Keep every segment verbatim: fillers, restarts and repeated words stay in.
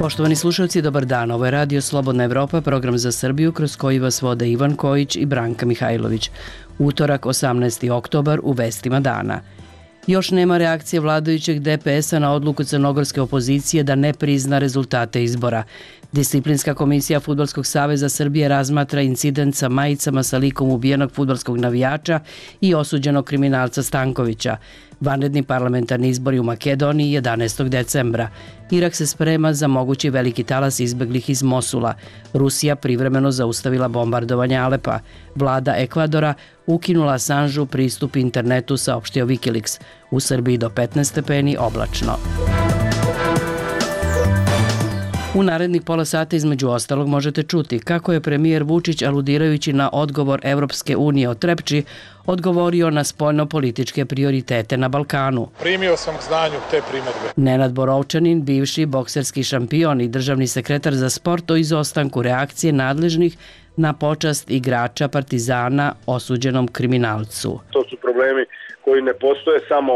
Poštovani slušalci, dobar dan. Ovo je Radio Slobodna Evropa, program za Srbiju kroz koji vas vode Ivan Kojić i Branka Mihajlović. Utorak, osamnaesti oktobar, u vestima dana. Još nema reakcije vladajućeg D P S-a na odluku crnogorske opozicije da ne prizna rezultate izbora. Disciplinska komisija Fudbalskog saveza Srbije razmatra incident sa majicama sa likom ubijenog fudbalskog navijača i osuđenog kriminalca Stankovića. Vanredni parlamentarni izbori u Makedoniji jedanaestog decembra. Irak se sprema za mogući veliki talas izbeglih iz Mosula. Rusija privremeno zaustavila bombardovanje Alepa. Vlada Ekvadora ukinula Assanžu pristup internetu, saopštio Wikileaks. U Srbiji do petnaest stepeni, oblačno. U narednih pola sata između ostalog možete čuti kako je premijer Vučić, aludirajući na odgovor Evropske unije o Trepči, odgovorio na spoljno-političke prioritete na Balkanu. Primio sam k znanju te primedbe. Nenad Borovčanin, bivši bokserski šampion i državni sekretar za sport, o izostanku reakcije nadležnih na počast igrača Partizana osuđenom kriminalcu. To su problemi koji ne postoje samo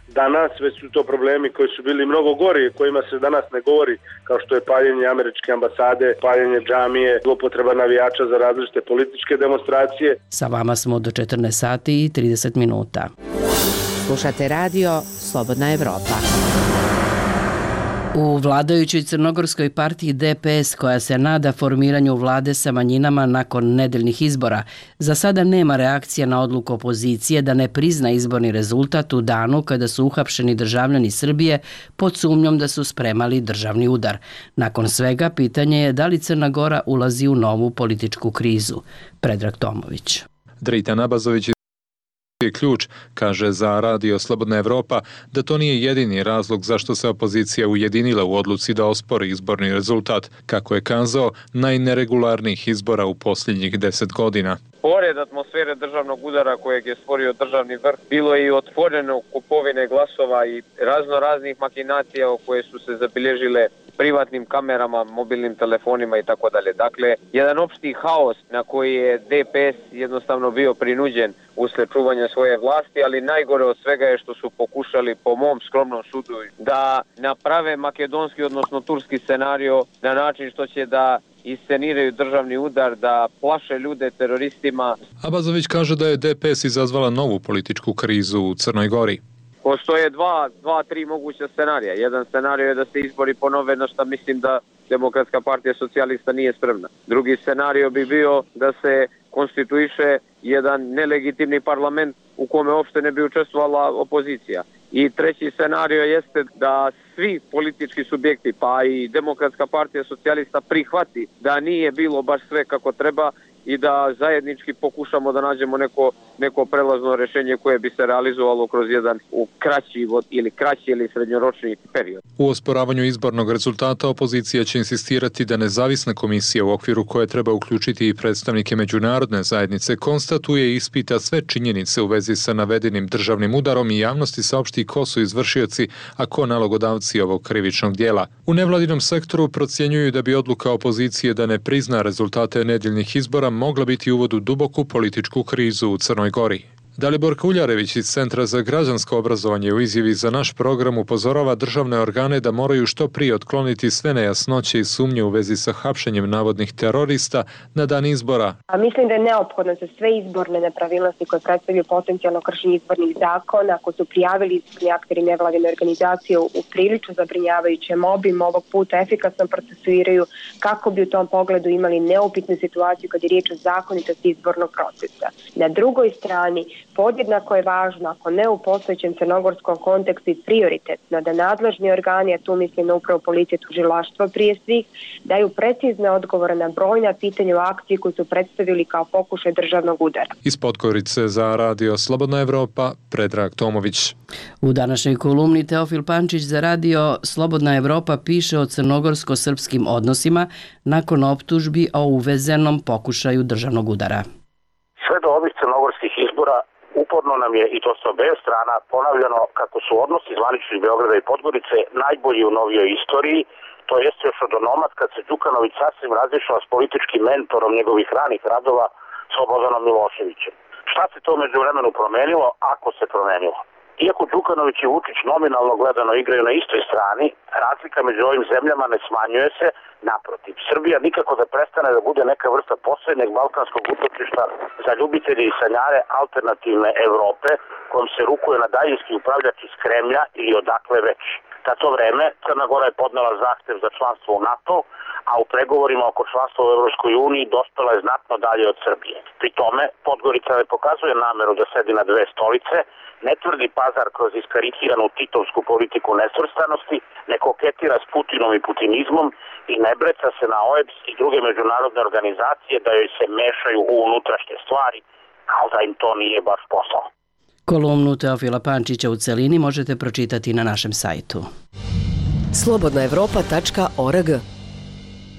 danas, već su to problemi koji su bili mnogo gori, kojima se danas ne govori, kao što je paljenje američke ambasade, paljenje džamije, zloupotreba navijača za različite političke demonstracije. Sa vama smo do četrnaest sati i trideset minuta. Slušate radio Slobodna Evropa. U vladajućoj crnogorskoj partiji D P S, koja se nada formiranju vlade sa manjinama nakon nedeljnih izbora, za sada nema reakcije na odluku opozicije da ne prizna izborni rezultat u danu kada su uhapšeni državljani Srbije pod sumnjom da su spremali državni udar. Nakon svega, pitanje je da li Crna Gora ulazi u novu političku krizu. Predrag Tomović. Dritan Abazović je ključ, kaže za Radio Slobodna Evropa, da to nije jedini razlog zašto se opozicija ujedinila u odluci da ospori izborni rezultat, kako je kazao, najneregularnijih izbora u posljednjih deset godina. Pored atmosfere državnog udara kojeg je stvorio državni vrh, bilo je i otvoreno kupovine glasova i razno raznih makinacija koje su se zabilježile privatnim kamerama, mobilnim telefonima i tako dalje. Dakle, jedan opšti haos na koji je D P S jednostavno bio prinuđen usled čuvanja svoje vlasti, ali najgore od svega je što su pokušali, po mom skromnom sudu, da naprave makedonski, odnosno turski scenario na način što će da isceniraju državni udar, da plaše ljude teroristima. Abazović kaže da je D P S izazvala novu političku krizu u Crnoj Gori. Postoje dva, dva, tri moguća scenarija. Jedan scenario je da se izbori ponove, na što mislim da Demokratska partija socijalista nije spremna. Drugi scenario bi bio da se konstituiše jedan nelegitimni parlament u kome uopšte ne bi učestvovala opozicija. I treći scenario jeste da svi politički subjekti, pa i Demokratska partija socijalista, prihvati da nije bilo baš sve kako treba i da zajednički pokušamo da nađemo neko, neko prelazno rješenje koje bi se realizovalo kroz jedan u kraći ili kraći ili srednjoročni period. U osporavanju izbornog rezultata opozicija će insistirati da nezavisna komisija u okviru koje treba uključiti i predstavnike međunarodne zajednice konstatuje i ispita sve činjenice u vezi sa navedenim državnim udarom i javnosti saopšti ko su izvršioci, a ko nalogodavci ovog krivičnog dijela. U nevladinom sektoru procjenjuju da bi odluka opozicije da ne prizna rezultate nedeljnih izbora mogla biti uvod u duboku političku krizu u Crnoj Gori. Dalibor Kuljarević iz Centra za građansko obrazovanje u izjavi za naš program upozorava državne organe da moraju što prije otkloniti sve nejasnoće i sumnje u vezi sa hapšenjem navodnih terorista na dan izbora. A mislim da je neophodno za sve izborne nepravilnosti koje predstavljaju potencijalno kršenje izbornih zakona, ako su prijavili izborni akteri nevladine organizacije u prilično zabrinjavajućem obimu, ovog puta efikasno procesuiraju kako bi u tom pogledu imali neupitnu situaciju kad je riječ o zakonitosti izbornog procesa. Na drugoj strani, podjednako je važno, ako ne u postojećem crnogorskom kontekstu i prioritetno, da nadležni organi, a tu mislim na upravo policije, tužilaštvo prije svih, daju precizne odgovore na brojna pitanja u akciji koju su predstavili kao pokušaj državnog udara. Iz Podgorice za Radio Slobodna Evropa, Predrag Tomović. U današnjoj kolumni Teofil Pančić za Radio Slobodna Evropa piše o crnogorsko-srpskim odnosima nakon optužbi o uvezenom pokušaju državnog udara. Sve do ovih crnogorskih izbora uporno nam je, i to sa obe strana, ponavljano kako su odnosi zvaničnih Beograda i Podgorice najbolji u novijoj istoriji, to jeste još od onomad kad se Đukanović sasvim razišao s političkim mentorom njegovih ranih radova Slobodanom Miloševićem. Šta se to među vremenu promenilo, ako se promenilo? Iako Đukanović i Vučić nominalno gledano igraju na istoj strani, razlika među ovim zemljama ne smanjuje se, naprotiv. Srbija nikako da prestane da bude neka vrsta poslednjeg balkanskog utočišta za ljubitelje i sanjare alternativne Evrope, kojom se rukuje na daljinski upravljač iz Kremlja ili odakle već. Za to vreme Crna Gora je podnela zahtev za članstvo u NATO, a u pregovorima oko članstva u Evropskoj uniji dospela je znatno dalje od Srbije. Pri tome, Podgorica ne pokazuje nameru da sedi na dve stolice, ne tvrdi pazar kroz iskarikiranu titovsku politiku nesvrstanosti, ne koketira s Putinom i putinizmom i ne breca se na O E B S i druge međunarodne organizacije da joj se mešaju u unutrašnje stvari, kao da im to nije baš posao. Kolumnu Teofila Pančića u celini možete pročitati na našem sajtu. slobodna evropa tačka org.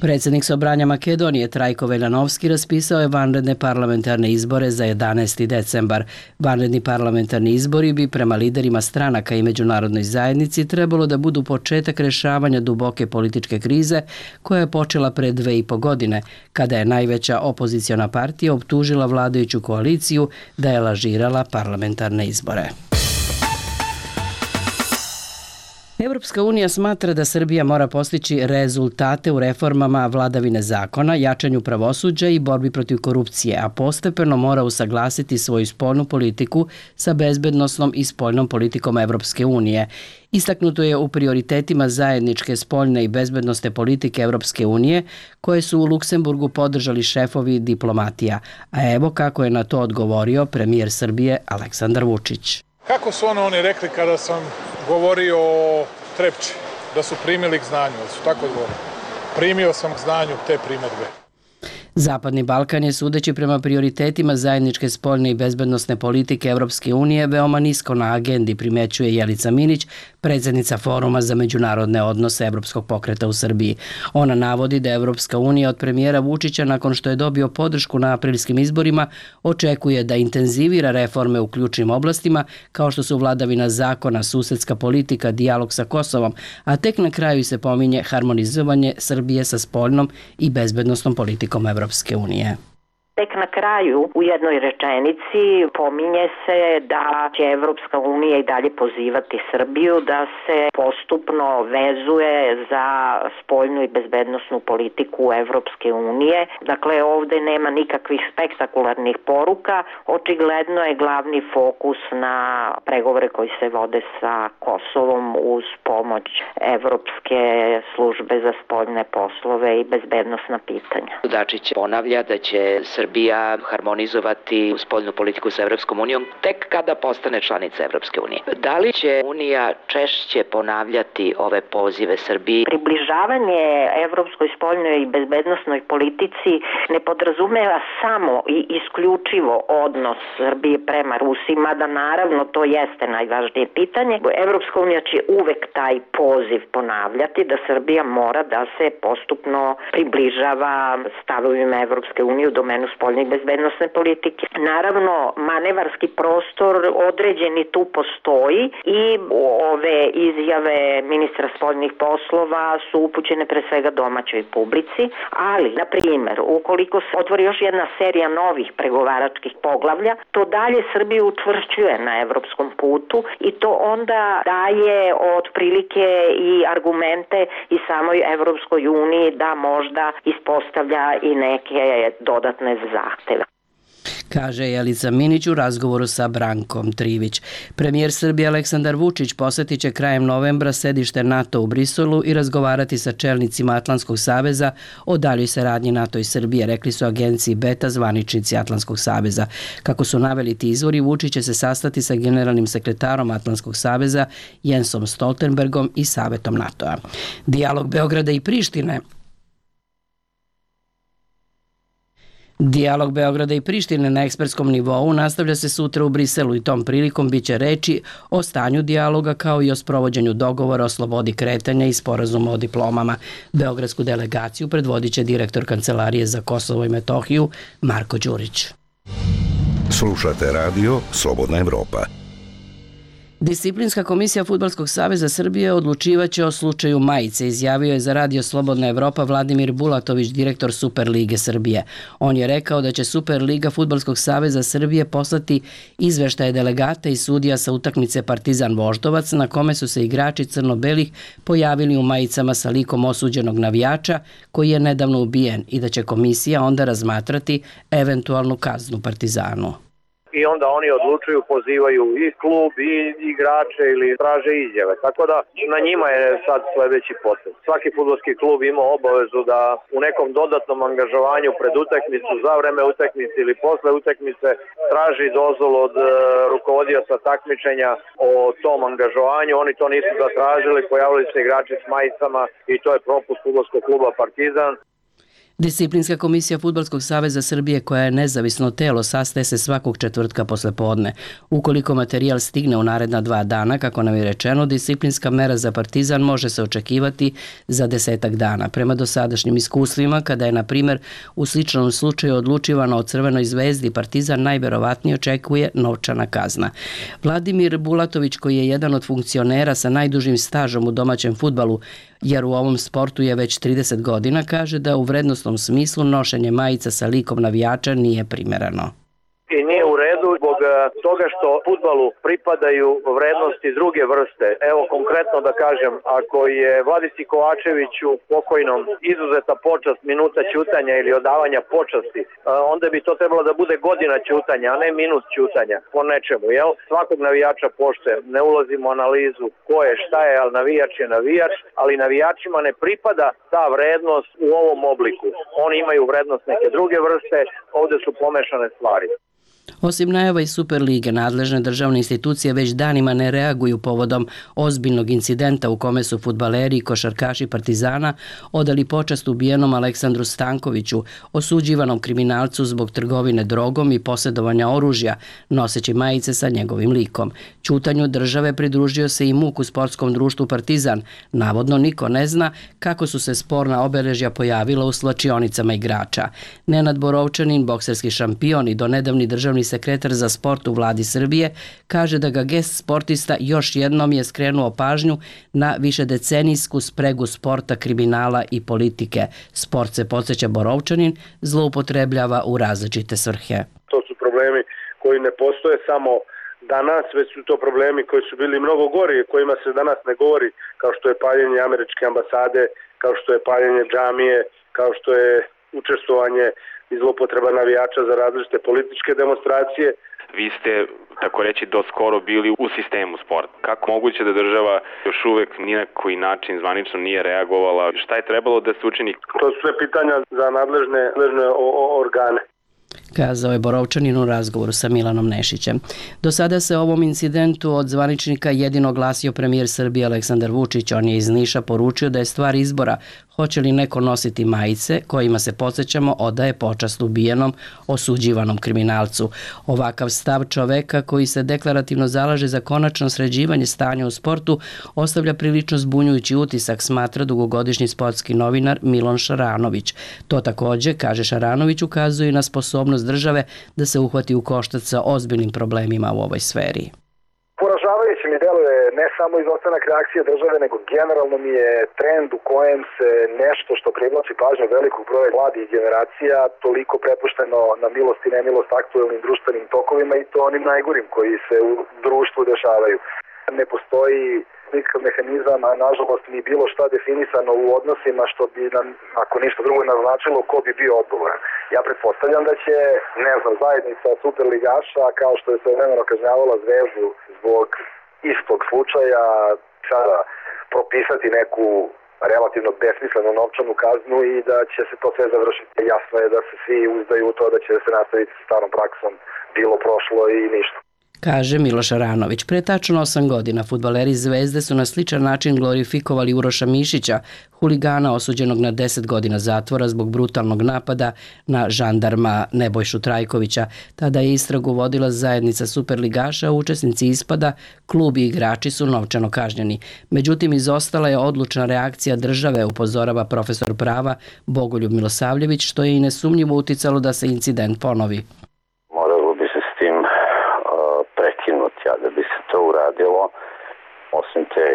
Predsjednik Sobranja Makedonije Trajko Veljanovski raspisao je vanredne parlamentarne izbore za jedanaesti decembar. Vanredni parlamentarni izbori bi prema liderima stranaka i međunarodnoj zajednici trebalo da budu početak rešavanja duboke političke krize koja je počela pre dve i po godine, kada je najveća opoziciona partija optužila vladajuću koaliciju da je lažirala parlamentarne izbore. Evropska unija smatra da Srbija mora postići rezultate u reformama vladavine zakona, jačanju pravosuđa i borbi protiv korupcije, a postepeno mora usaglasiti svoju spoljnu politiku sa bezbednosnom i spoljnom politikom Evropske unije. Istaknuto je u prioritetima zajedničke spoljne i bezbednosne politike Evropske unije, koje su u Luksemburgu podržali šefovi diplomatija. A evo kako je na to odgovorio premijer Srbije Aleksandar Vučić. Kako su ono oni rekli kada sam govorio o Trepči, da su primili k znanju, da su tako odgovorili? Primio sam k znanju te primedbe. Zapadni Balkan je, sudeći prema prioritetima zajedničke spoljne i bezbednosne politike Evropske unije, veoma nisko na agendi, primećuje Jelica Minić, predsjednica Foruma za međunarodne odnose Evropskog pokreta u Srbiji. Ona navodi da Evropska unija od premijera Vučića, nakon što je dobio podršku na aprilskim izborima, očekuje da intenzivira reforme u ključnim oblastima, kao što su vladavina zakona, susedska politika, dijalog sa Kosovom, a tek na kraju se pominje harmonizovanje Srbije sa spoljnom i bezbednosnom politikom Evropske unije. Tek na kraju u jednoj rečenici pominje se da će Evropska unija i dalje pozivati Srbiju da se postupno vezuje za spoljnu i bezbednosnu politiku Evropske unije. Dakle, ovde nema nikakvih spektakularnih poruka. Očigledno je glavni fokus na pregovore koji se vode sa Kosovom uz pomoć Evropske službe za spoljne poslove i bezbednosna pitanja. Dačić ponavlja da će Srbija harmonizovati spoljnu politiku sa Evropskom unijom tek kada postane članica Evropske unije. Da li će Unija češće ponavljati ove pozive Srbiji? Približavanje evropskoj spoljnoj i bezbednosnoj politici ne podrazumeva samo i isključivo odnos Srbije prema Rusiji, mada naravno to jeste najvažnije pitanje. Evropska unija će uvek taj poziv ponavljati da Srbija mora da se postupno približava stavovima Evropske unije u domenu spoljne i bezbednosne politike. Naravno, manevarski prostor određeni tu postoji i ove izjave ministra spoljnih poslova su upućene pre svega domaćoj publici, ali, na primjer, ukoliko se otvori još jedna serija novih pregovaračkih poglavlja, to dalje Srbiju učvršćuje na evropskom putu i to onda daje otprilike i argumente i samoj Evropskoj uniji da možda ispostavlja i neke dodatne zahteve. Kaže Jelica Minić u razgovoru sa Brankom Trivić. Premijer Srbije Aleksandar Vučić posetit će krajem novembra sedište NATO u Briselu i razgovarati sa čelnicima Atlantskog saveza o daljoj saradnji NATO i Srbije, rekli su agenciji Beta zvaničnici Atlantskog saveza. Kako su naveli ti izvori, Vučić će se sastati sa generalnim sekretarom Atlantskog saveza Jensom Stoltenbergom i Savetom NATO-a. Dijalog Beograda i Prištine Dijalog Beograda i Prištine na ekspertskom nivou nastavlja se sutra u Briselu i tom prilikom biće reči o stanju dijaloga kao i o sprovođenju dogovora o slobodi kretanja i sporazuma o diplomama. Beogradsku delegaciju predvodit će direktor Kancelarije za Kosovo i Metohiju Marko Đurić. Slušate radio Slobodna Evropa. Disciplinska komisija Fudbalskog saveza Srbije odlučivaće o slučaju majice, izjavio je za Radio Slobodna Evropa Vladimir Bulatović, direktor Superlige Srbije. On je rekao da će Superliga Fudbalskog saveza Srbije poslati izveštaje delegata i sudija sa utakmice Partizan Voždovac, na kome su se igrači crno-belih pojavili u majicama sa likom osuđenog navijača koji je nedavno ubijen i da će komisija onda razmatrati eventualnu kaznu Partizanu. I onda oni odlučuju, pozivaju i klub i igrače ili traže izjave. Tako da na njima je sad sledeći potez. Svaki fudbalski klub ima obavezu da u nekom dodatnom angažovanju pred utakmicu, za vreme utakmice ili posle utakmice traži dozvolu od uh, rukovodioca takmičenja o tom angažovanju. Oni to nisu zatražili, pojavili se igrači s majicama i to je propust fudbalskog kluba Partizan. Disciplinska komisija Fudbalskog saveza Srbije, koja je nezavisno telo, sastaje se svakog četvrtka posle podne. Ukoliko materijal stigne u naredna dva dana, kako nam je rečeno, disciplinska mera za Partizan može se očekivati za desetak dana. Prema dosadašnjim iskustvima, kada je, na primjer, u sličnom slučaju odlučivano o Crvenoj zvezdi, Partizan najverovatnije očekuje novčana kazna. Vladimir Bulatović, koji je jedan od funkcionera sa najdužim stažom u domaćem fudbalu, jer u ovom sportu je već trideset godina, kaže da u vrednostnom smislu nošenje majica sa likom navijača nije primereno. I nije u redu zbog toga što fudbalu pripadaju vrednosti druge vrste. Evo konkretno da kažem, ako je Vladici Kovačeviću pokojnom izuzeta počast minuta ćutanja ili odavanja počasti, onda bi to trebalo da bude godina ćutanja, a ne minut ćutanja po nečemu. Jel? Svakog navijača poštujem, ne ulazimo u analizu ko je, šta je, ali navijač je navijač, ali navijačima ne pripada ta vrednost u ovom obliku. Oni imaju vrednost neke druge vrste, ovde su pomešane stvari. Osim najava iz Superlige, nadležne državne institucije već danima ne reaguju povodom ozbiljnog incidenta u kome su fudbaleri i košarkaši Partizana odali počast ubijenom Aleksandru Stankoviću, osuđivanom kriminalcu zbog trgovine drogom i posjedovanja oružja, noseći majice sa njegovim likom. Ćutanju države pridružio se i muk u sportskom društvu Partizan. Navodno niko ne zna kako su se sporna obeležja pojavila u slačionicama igrača. Nenad Borovčanin, bokserski šampion i donedavni državni sekretar za sport u vladi Srbije, kaže da ga gest sportista još jednom je skrenuo pažnju na višedecenijsku spregu sporta, kriminala i politike. Sport, se podsjeća Borovčanin, zloupotrebljava u različite svrhe. To su problemi koji ne postoje samo danas, već su to problemi koji su bili mnogo gori, kojima se danas ne govori, kao što je paljenje američke ambasade, kao što je paljenje džamije, kao što je učestvovanje i zlopotreba navijača za različite političke demonstracije. Vi ste, tako reći, do skoro bili u sistemu sporta. Kako moguće da država još uvek ni na koji način zvanično nije reagovala? Šta je trebalo da se učini? To su sve pitanja za nadležne, nadležne organe, kazao je Borovčanin u razgovoru sa Milanom Nešićem. Do sada se o ovom incidentu od zvaničnika jedino glasio premijer Srbije Aleksandar Vučić. On je iz Niša poručio da je stvar izbora hoće li neko nositi majice kojima se, podsjećamo, odaje počast ubijenom, osuđivanom kriminalcu. Ovakav stav čoveka koji se deklarativno zalaže za konačno sređivanje stanja u sportu ostavlja prilično zbunjujući utisak, smatra dugogodišnji sportski novinar Milon Šaranović. To takođe, kaže Šaranović, ukazuje na sposobnost države da se uhvati u koštac sa ozbiljnim problemima u ovoj sferi. Poražavajuće mi deluje ne samo izostanak reakcije države, nego generalno mi je trend u kojem se nešto što privlači pažnju velikog broja mladih generacija toliko prepušteno na milost i nemilost aktuelnim društvenim tokovima, i to onim najgorim koji se u društvu dešavaju. Ne postoji nikakav mehanizam, a nažalost ni bilo šta definisano u odnosima što bi nam, ako ništa drugo, naznačilo ko bi bio odgovoran. Ja pretpostavljam da će, ne znam, zajednica superligaša, kao što je svojevremeno kažnjavala Zvezdu zbog istog slučaja, sada propisati neku relativno besmislenu novčanu kaznu i da će se to sve završiti. Jasno je da se svi uzdaju u to da će se nastaviti sa starom praksom, bilo prošlo i ništa, kaže Miloš Aranović. Pre tačno osam godina fudbaleri Zvezde su na sličan način glorifikovali Uroša Mišića, huligana osuđenog na deset godina zatvora zbog brutalnog napada na žandarma Nebojšu Trajkovića. Tada je istragu vodila zajednica superligaša, a učesnici ispada, klub i igrači su novčano kažnjeni. Međutim, izostala je odlučna reakcija države, upozorava profesor prava Bogoljub Milosavljević, što je i nesumnjivo uticalo da se incident ponovi. Da bi se to uradio radilo. Osim te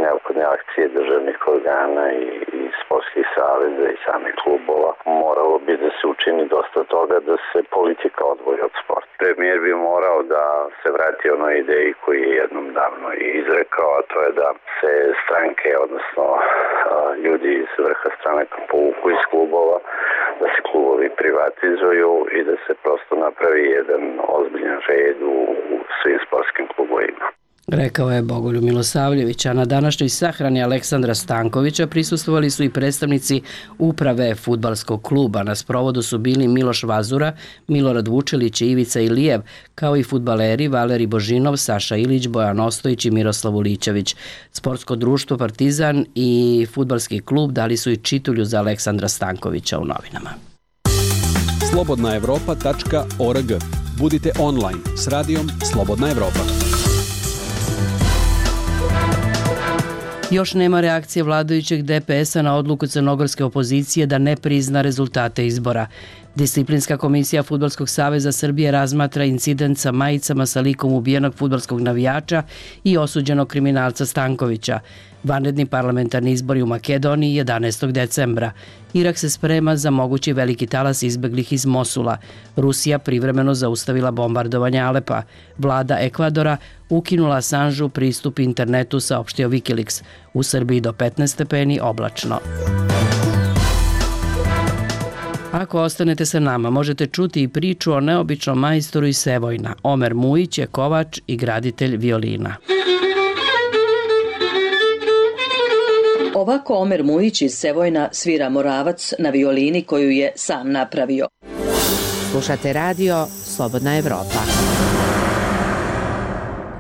neophodne akcije državnih organa i, i sportskih saveza i samih klubova, moralo bi da se učini dosta toga da se politika odvoji od sporta. Premijer bi morao da se vrati onoj ideji koju je jednom davno izrekao, a to je da se stranke, odnosno ljudi iz vrha stranaka povuku iz klubova, da se klubovi privatizuju i da se prosto napravi jedan ozbiljan red u, u svim sportskim klubovima. Rekao je Bogoljub Milosavljević, a na današnjoj sahrani Aleksandra Stankovića prisustvovali su i predstavnici uprave fudbalskog kluba. Na sprovodu su bili Miloš Vazura, Milorad Vučelić i Ivica Ilijev, kao i fudbaleri Valeri Božinov, Saša Ilić, Bojan Ostojić i Miroslav Ulićević. Sportsko društvo Partizan i fudbalski klub dali su i čitulju za Aleksandra Stankovića u novinama. slobodna evropa tačka org. Budite online s radijom Slobodna Evropa. Još nema reakcije vladajućeg D P S-a na odluku crnogorske opozicije da ne prizna rezultate izbora. Disciplinska komisija Fudbalskog saveza Srbije razmatra incident sa majicama sa likom ubijenog fudbalskog navijača i osuđenog kriminalca Stankovića. Vanredni parlamentarni izbori u Makedoniji jedanaestog decembra. Irak se sprema za mogući veliki talas izbeglih iz Mosula. Rusija privremeno zaustavila bombardovanje Alepa. Vlada Ekvadora ukinula Assanžu pristup internetu, saopštio Wikileaks. U Srbiji do petnaest stepeni oblačno. Ako ostanete sa nama, možete čuti i priču o neobičnom majstoru iz Sevojna. Omer Mujić je kovač i graditelj violina. Ovako Omer Mujić iz Sevojna svira Moravac na violini koju je sam napravio. Slušate radio Slobodna Evropa.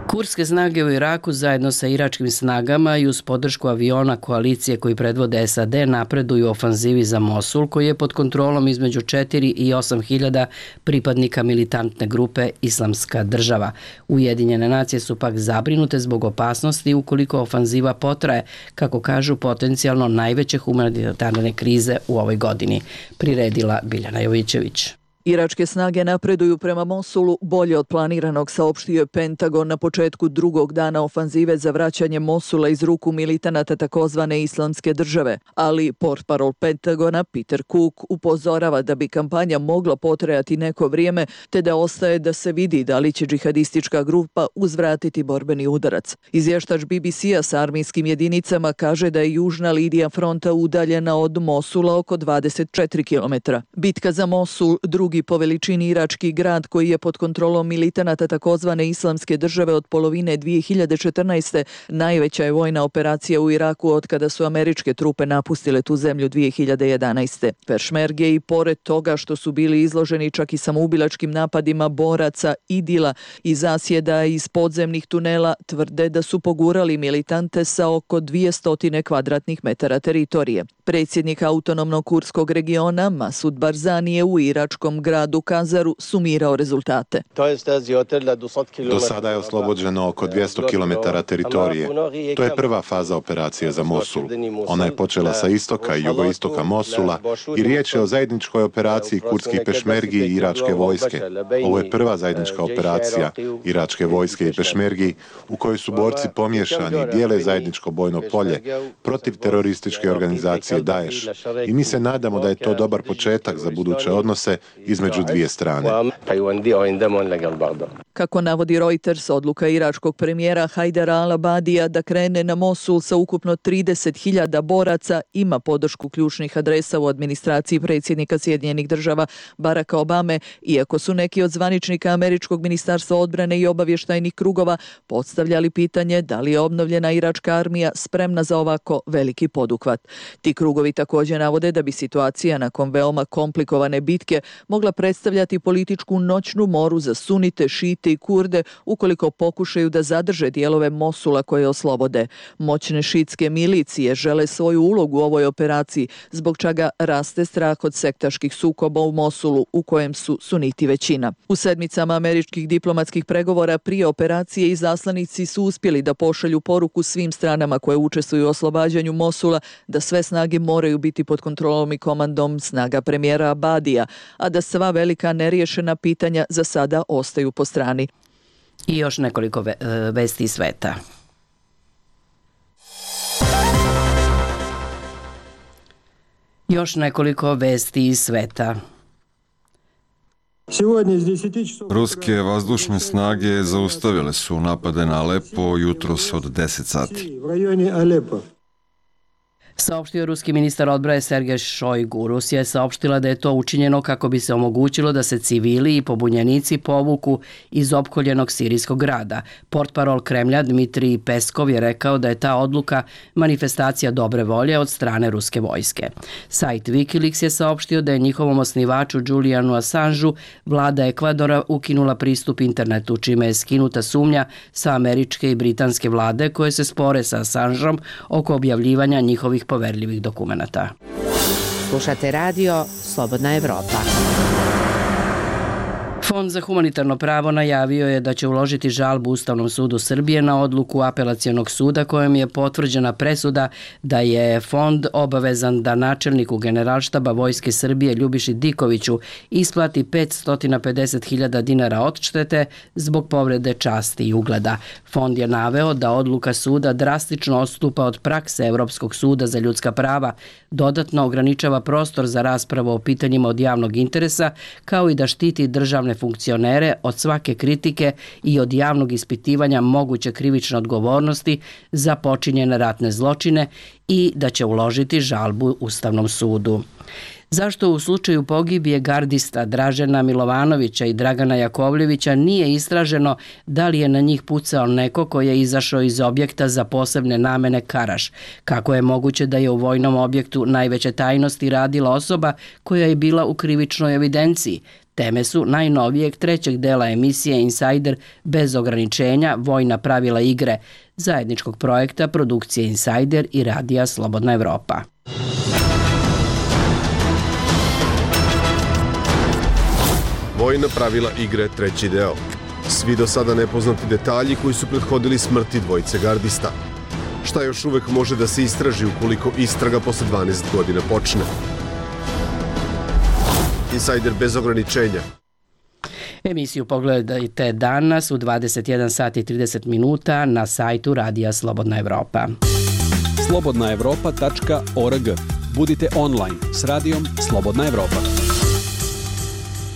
Kurdske snage u Iraku zajedno sa iračkim snagama i uz podršku aviona koalicije koji predvode S A D napreduju u ofanzivi za Mosul, koji je pod kontrolom između četiri i osam hiljada pripadnika militantne grupe Islamska država. Ujedinjene nacije su pak zabrinute zbog opasnosti ukoliko ofanziva potraje, kako kažu, potencijalno najveće humanitarne krize u ovoj godini. Priredila Biljana Jovićević. Iračke snage napreduju prema Mosulu bolje od planiranog, saopštio je Pentagon na početku drugog dana ofanzive za vraćanje Mosula iz ruku militanata takozvane Islamske države. Ali portparol Pentagona Peter Cook upozorava da bi kampanja mogla potrajati neko vrijeme, te da ostaje da se vidi da li će džihadistička grupa uzvratiti borbeni udarac. Izvještač B B C-a sa armijskim jedinicama kaže da je južna linija fronta udaljena od Mosula oko dvadeset četiri kilometra. Bitka za Mosul, drugi po veličini irački grad koji je pod kontrolom militanata takozvane Islamske države od polovine dvije hiljade četrnaeste. najveća je vojna operacija u Iraku od kada su američke trupe napustile tu zemlju dvije hiljade jedanaeste. Pešmerge i pored toga što su bili izloženi čak i samoubilačkim napadima boraca Idila i zasjeda iz podzemnih tunela, tvrde da su pogurali militante sa oko dvjesto kvadratnih metara teritorije. Predsjednik autonomnog kurdskog regiona Masud Barzani je u iračkom gradu Kazaru sumirao rezultate. Do sada je oslobođeno oko dvjesto kilometara teritorije. To je prva faza operacije za Mosul. Ona je počela sa istoka i jugoistoka Mosula i riječ je o zajedničkoj operaciji kurdskih pešmergi i iračke vojske. Ovo je prva zajednička operacija iračke vojske i pešmergi u kojoj su borci pomiješani i dijele zajedničko bojno polje protiv terorističke organizacije Daesh. I mi se nadamo da je to dobar početak za buduće odnose između dvije strane. Kako navodi Reuters, odluka iračkog premijera Hajdara al-Abadija da krene na Mosul sa ukupno trideset hiljada boraca ima podršku ključnih adresa u administraciji predsjednika Sjedinjenih država Baracka Obame, iako su neki od zvaničnika američkog ministarstva odbrane i obavještajnih krugova postavljali pitanje da li je obnovljena iračka armija spremna za ovako veliki poduhvat. Ti krugovi također navode da bi situacija nakon veoma komplikovane bitke mogla predstavljati političku noćnu moru za sunite, šite i kurde ukoliko pokušaju da zadrže dijelove Mosula koje oslobode. Moćne šitske milicije žele svoju ulogu u ovoj operaciji, zbog čega raste strah od sektaških sukoba u Mosulu u kojem su suniti većina. U sedmicama američkih diplomatskih pregovora prije operacije izaslanici su uspjeli da pošalju poruku svim stranama koje učestvuju u oslobađanju Mosula da sve snage moraju biti pod kontrolom i komandom snaga premijera Abadija, a da sva velika neriješena pitanja za sada ostaju po strani. I još nekoliko vesti iz sveta. Još nekoliko vesti iz sveta. Ruske vazdušne snage zaustavile su napade na Alepo jutros od deset sati. Saopštio ruski ministar odbrane Sergej Šojgu. Rusija je saopštila da je to učinjeno kako bi se omogućilo da se civili i pobunjenici povuku iz opkoljenog sirijskog grada. Portparol Kremlja Dmitrij Peskov je rekao da je ta odluka manifestacija dobre volje od strane ruske vojske. Sajt Wikileaks je saopštio da je njihovom osnivaču Julianu Assangeu vlada Ekvadora ukinula pristup internetu, čime je skinuta sumnja sa američke i britanske vlade koje se spore sa Assangeom oko objavljivanja njihovih poverljivih dokumenata. Slušate radio Slobodna Evropa. Fond za humanitarno pravo najavio je da će uložiti žalbu Ustavnom sudu Srbije na odluku Apelacionog suda kojom je potvrđena presuda da je fond obavezan da načelniku Generalštaba Vojske Srbije Ljubiši Dikoviću isplati petsto pedeset hiljada dinara odštete zbog povrede časti i ugleda. Fond je naveo da odluka suda drastično odstupa od prakse Evropskog suda za ljudska prava, dodatno ograničava prostor za raspravu o pitanjima od javnog interesa, kao i da štiti državne funkcionere od svake kritike i od javnog ispitivanja moguće krivične odgovornosti za počinjene ratne zločine i da će uložiti žalbu Ustavnom sudu. Zašto u slučaju pogibije gardista Dražena Milovanovića i Dragana Jakovljevića nije istraženo da li je na njih pucao neko ko je izašao iz objekta za posebne namene Karaš? Kako je moguće da je u vojnom objektu najveće tajnosti radila osoba koja je bila u krivičnoj evidenciji? Teme su najnovijeg trećeg dela emisije Insider bez ograničenja, vojna pravila igre, zajedničkog projekta produkcije Insider i radija Slobodna Evropa. Vojna pravila igre, treći deo. Svi do sada nepoznati detalji koji su prethodili smrti dvojice gardista. Šta još uvek može da se istraži ukoliko istraga posle dvanaest godina počne? Insider bez ograničenja. Emisiju pogledajte danas u dvadeset jedan sati i trideset minuta na sajtu Radija Slobodna Evropa. slobodna evropa tačka org. Budite online s radijom Slobodna Evropa.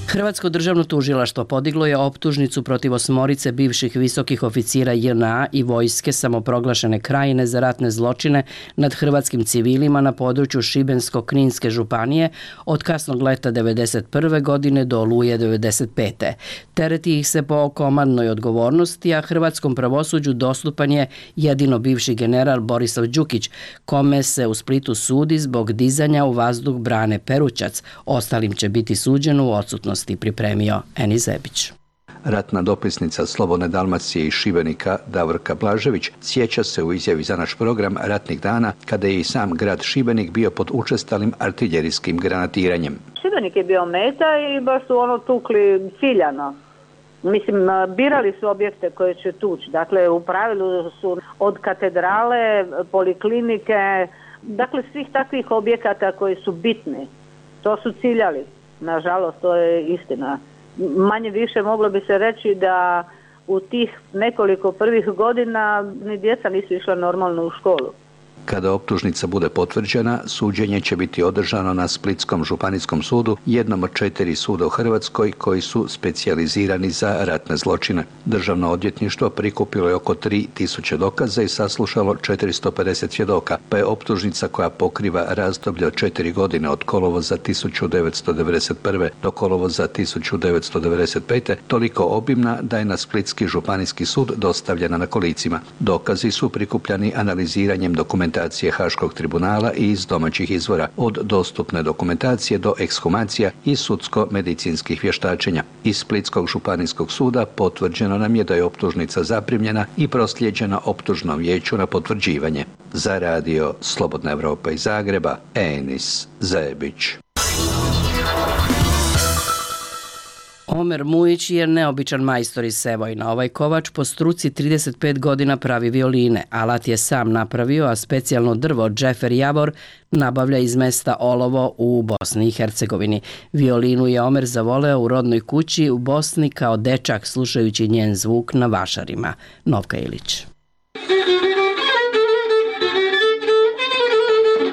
Hrvatsko državno tužilaštvo podiglo je optužnicu protiv osmorice bivših visokih oficira J N A i vojske samoproglašene Krajine za ratne zločine nad hrvatskim civilima na području Šibensko-Kninske županije od kasnog leta devedeset prve godine do oluje devedeset pete. Tereti ih se po komandnoj odgovornosti, a hrvatskom pravosuđu dostupan je jedino bivši general Borislav Đukić, kome se u Splitu sudi zbog dizanja u vazduh brane Perućac. Ostalim će biti suđeno u odsutnosti, pripremio Eni Zebić. Ratna dopisnica Slobodne Dalmacije iz Šibenika Davorka Blažević sjeća se u izjavi za naš program ratnih dana kada je i sam grad Šibenik bio pod učestalim artiljerijskim granatiranjem. Šibenik je bio meta i baš su ono tukli ciljano. Mislim, birali su objekte koje će tući. Dakle, u pravilu su od katedrale, poliklinike, dakle svih takvih objekata koji su bitni. To su ciljali. Nažalost, to je istina. Manje više moglo bi se reći da u tih nekoliko prvih godina ni djeca nisu išla normalno u školu. Kada optužnica bude potvrđena, suđenje će biti održano na Splitskom županijskom sudu, jednom od četiri suda u Hrvatskoj koji su specijalizirani za ratne zločine. Državno odvjetništvo prikupilo je oko tri tisuće dokaza i saslušalo četiristo pedeset svjedoka, pa je optužnica koja pokriva razdoblje od četiri godine od kolovoza tisuću devetsto devedeset prve do kolovoza tisuću devetsto devedeset pete toliko obimna da je na Splitski županijski sud dostavljena na kolicima. Dokazi su prikupljani analiziranjem dokumentacije Haškog tribunala i iz domaćih izvora, od dostupne dokumentacije do ekshumacija i sudsko-medicinskih vještačenja. Iz Splitskog županijskog suda potvrđeno nam je da je optužnica zaprimljena i proslijeđena optužnom vijeću na potvrđivanje. Za radio Slobodna Evropa iz Zagreba, Enis Zebić. Omer Mujić je neobičan majstor iz Sevojna. Ovaj kovač po struci trideset pet godina pravi violine. Alat je sam napravio, a specijalno drvo Džefer Javor nabavlja iz mesta Olovo u Bosni i Hercegovini. Violinu je Omer zavoleo u rodnoj kući u Bosni kao dečak, slušajući njen zvuk na vašarima. Novka Ilić.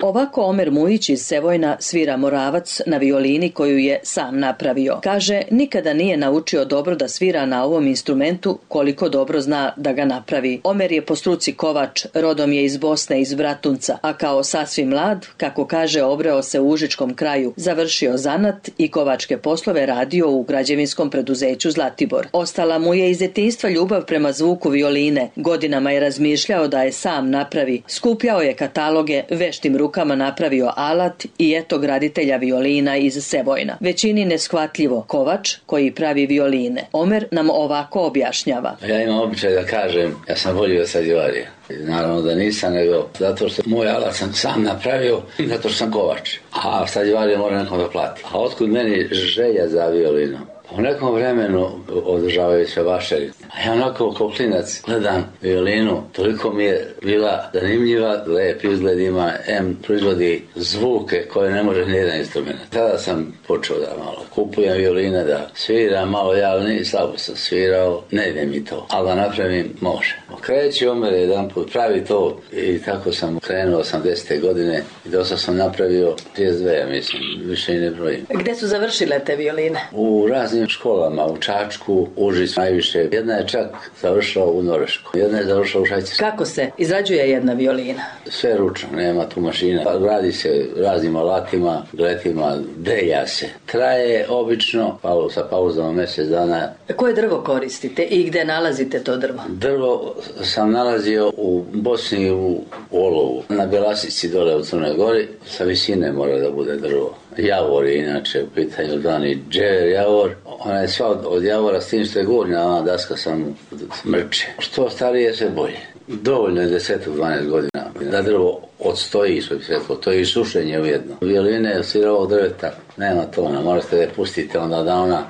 Ovako Omer Mujić iz Sevojna svira Moravac na violini koju je sam napravio. Kaže, nikada nije naučio dobro da svira na ovom instrumentu koliko dobro zna da ga napravi. Omer je po struci kovač, rodom je iz Bosne, iz Bratunca, a kao sasvim mlad, kako kaže, obreo se u Užičkom kraju, završio zanat i kovačke poslove radio u građevinskom preduzeću Zlatibor. Ostala mu je iz djetinjstva ljubav prema zvuku violine. Godinama je razmišljao da je sam napravi. Skupljao je kataloge, veštim rukama rukama napravio alat i eto graditelja violina iz Sevojna. Većini neshvatljivo, kovač koji pravi violine. Omer nam ovako objašnjava. Ja imam običaj da kažem, ja sam volio Stradivariusa. Naravno da nisam, nego zato što moj alat sam sam napravio, zato što sam kovač. A Stradivarius mora nekom da plati. A otkud meni želja za violinu? U nekom vremenu održavaju se vašari. A ja onako kao klinac gledam violinu, toliko mi je bila zanimljiva, lep izgled ima, em proizvodi zvuke koje ne može nijedan instrument. Tada sam počeo da malo kupujem violine, da sviram malo, ja ni slabo sam svirao, ne ide mi to, ali da napravim može. Kreći Omer jedan put, pravi to i tako sam krenuo osamdesete godine i dosta sam napravio trideset dve, ja mislim, više i ne brojim. Gde su završile te violine? U raznim školama, u Čačku, Užicu najviše. Jedna je čak završila u Norveškoj, jedna je završila u Švajcarskoj. Kako se izrađuje jedna violina? Sve ručno, nema tu mašina. Radi se raznim alatima, gletima, delja se. Traje obično, pa sa pauzama mjesec dana. Koje drvo koristite i gde nalazite to drvo? Drvo sam nalazio u Bosni u Olovu, na Bjelasici dole u Crnoj Gori, sa visine mora da bude drvo. Javor je inače u pitanju zvani Džefer Javor. Ona je sva od, od javora s tim što je gornja, ona daska sam smrče. Što starije se bolje. Dovoljno je deset do dvanaest godina da drvo odstoji svoj svjetlo. To je i sušenje ujedno. Violine je sirovog drveta, nema tona, morate da je pustite onda da ona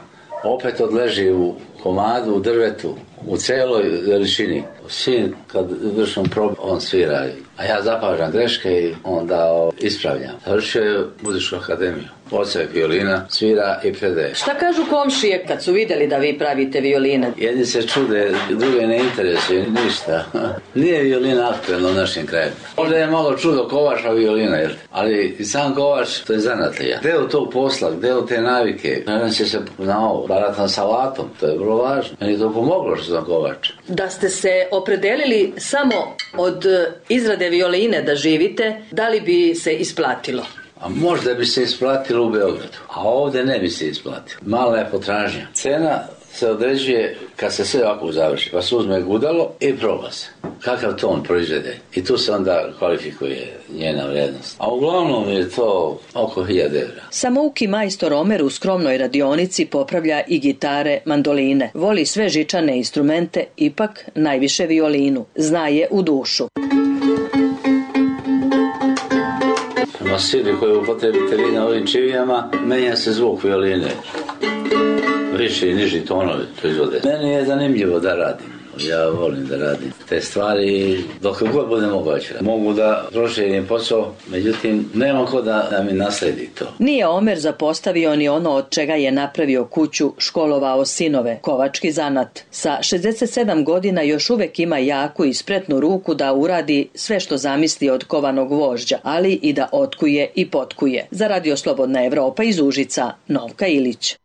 opet odleži u komadu, u drvetu, u celoj veličini. Sin, kad vršim probu, on svira, a ja zapažam greške i onda ispravljam. Završio je muzičku akademiju. Odsek violina, svira i predaje. Šta kažu komšije kad su vidjeli da vi pravite violine? Jedni se čude, druge ne interesuje ništa. Nije violina aktuelna u našem kraju. Možda je malo čudo kovača violina, jel? Ali i sam kovač, to je zanatlija. Deo tog posla, deo te navike, nadam će se na ovo, baratam sa alatom, to je vrlo važno. Meni to pomoglo što sam kovač. Da ste se opredelili samo od izrade violine da živite, da li bi se isplatilo? A možda bi se isplatilo u Beogradu, a ovdje ne bi se isplatilo. Mala je potražnja. Cena se određuje kad se sve ovako završi, pa se uzme gudalo i proba se. Kakav ton proizvede. I tu se onda kvalifikuje njena vrijednost. A uglavnom je to oko hiljadu evra. Samouki majstor Omer u skromnoj radionici popravlja i gitare, mandoline. Voli sve žičane instrumente, ipak najviše violinu. Zna je u dušu. Na sili koje upotrebite vi na ovim čivijama, menja se zvuk violine. Viši i niži tonovi proizvode. Meni je zanimljivo da radim. Ja volim da radim te stvari dok god bude moguće. Mogu da proširim posao, međutim nema ko da, da mi nasledi to. Nije Omer zapostavio ni ono od čega je napravio kuću, školovao sinove, kovački zanat. Sa šezdeset sedam godina još uvek ima jaku i spretnu ruku da uradi sve što zamisli od kovanog gvožđa, ali i da otkuje i potkuje. Za Radio Slobodna Evropa iz Užica, Novka Ilić.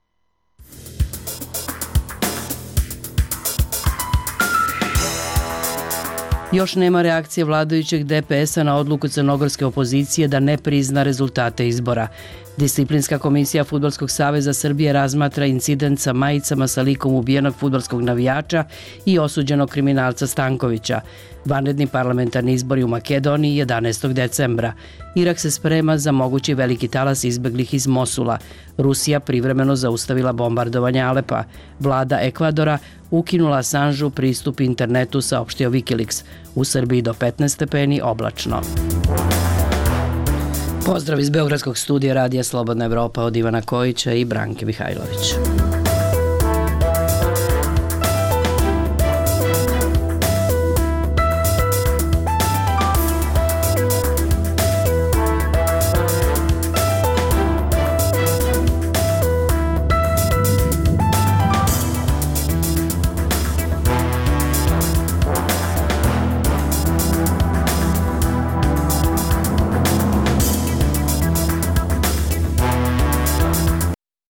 Još nema reakcije vladajućeg D P S-a na odluku crnogorske opozicije da ne prizna rezultate izbora. Disciplinska komisija Fudbalskog saveza Srbije razmatra incident sa majicama sa likom ubijenog fudbalskog navijača i osuđenog kriminalca Stankovića. Vanredni parlamentarni izbori u Makedoniji jedanaestog decembra. Irak se sprema za mogući veliki talas izbeglih iz Mosula. Rusija privremeno zaustavila bombardovanje Alepa. Vlada Ekvadora ukinula Assanžu pristup internetu, saopštio Wikileaks. U Srbiji do petnaest stepeni oblačno. Pozdrav iz Beogradskog studija Radija Slobodna Evropa od Ivana Kojića i Branke Mihajlović.